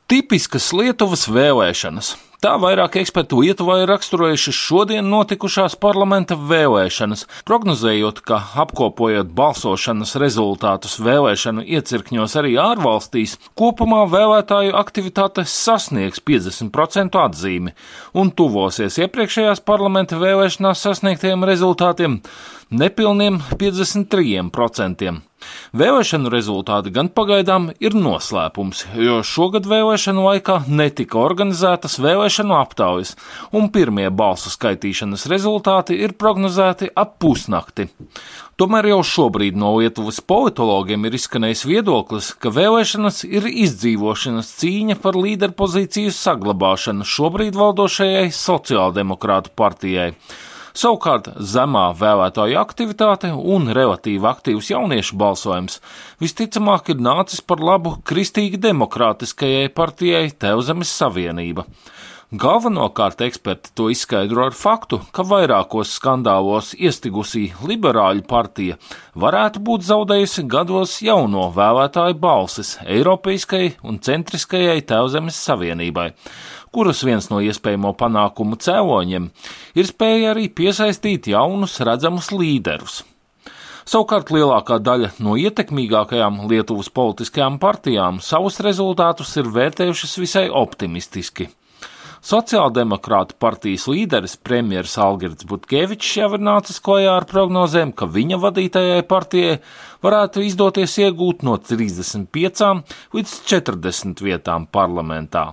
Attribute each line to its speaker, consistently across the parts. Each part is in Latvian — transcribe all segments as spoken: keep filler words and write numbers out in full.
Speaker 1: Tipiskas Lietuvas vēlēšanas. Tā vairāk ekspertu Lietuvā ir raksturojuši šodien notikušās parlamenta vēlēšanas, prognozējot, ka apkopojot balsošanas rezultātus vēlēšanu iecirkņos arī ārvalstīs, kopumā vēlētāju aktivitāte sasniegs piecdesmit procentu atzīmi un tuvosies iepriekšējās parlamenta vēlēšanās sasniegtajiem rezultātiem nepilniem piecdesmit trim procentiem. Vēlēšanu rezultāti gan pagaidām ir noslēpums, jo šogad vēlēšanu laikā netika organizētas vēlēšanu aptaujas, un pirmie balsu skaitīšanas rezultāti ir prognozēti ap pusnakti. Tomēr jau šobrīd no Lietuvas politologiem ir izskanējis viedoklis, ka vēlēšanas ir izdzīvošanas cīņa par līderpozīciju saglabāšanu šobrīd valdošajai sociāldemokrātu partijai. Savukārt zemā vēlētāju aktivitāte un relatīvi aktīvs jauniešu balsojums visticamāk ir nācis par labu kristīgi demokrātiskajai partijai Tēvzemes Savienība. Galvenokārt eksperti to izskaidro ar faktu, ka vairākos skandālos iestigusī liberāļu partija varētu būt zaudējusi gados jauno vēlētāju balsis Eiropeiskajai un centriskajai Tēvzemes Savienībai, kuras viens no iespējamo panākumu cēloņiem ir spēja arī piesaistīt jaunus redzamus līderus. Savukārt lielākā daļa no ietekmīgākajām Lietuvas politiskajām partijām savus rezultātus ir vērtējušas visai optimistiski. Sociāldemokrātu partijas līderis premjeras Algirds Butkevičs jau ir nācis klajā ar prognozēm, ka viņa vadītajai partijai varētu izdoties iegūt no trīsdesmit piecām līdz četrdesmit vietām parlamentā.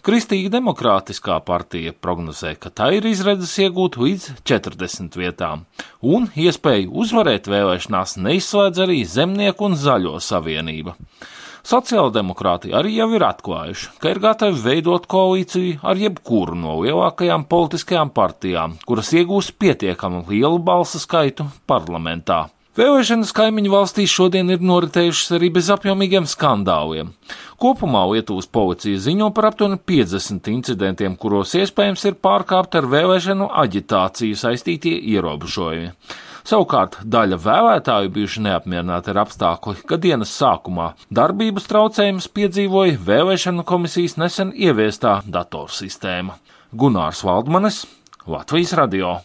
Speaker 1: Kristīgi demokrātiskā partija prognozē, ka tā ir izredzes iegūt līdz četrdesmit vietām, un iespēju uzvarēt vēlēšanās neizslēdz arī Zemnieku un Zaļo savienība. Sociāldemokrāti arī jau ir atklājuši, ka ir gatavi veidot koalīciju ar jebkuru no lielākajām politiskajām partijām, kuras iegūs pietiekami lielu balsu skaitu parlamentā. Vēlēšanas kaimiņu valstīs šodien ir noritējušas arī bez apjomīgiem skandāliem. Kopumā Lietuvas policija ziņo par aptuveni piecdesmit incidentiem, kuros iespējams ir pārkāpti ar vēlēšanu aģitāciju saistītie ierobežojumi. Savukārt daļa vēlētāju bijuši neapmierināti ar apstākli, ka dienas sākumā darbības traucējumus piedzīvoja vēlēšanu komisijas nesen ieviestā datorsistēma. Gunārs Valdmanis, Latvijas radio.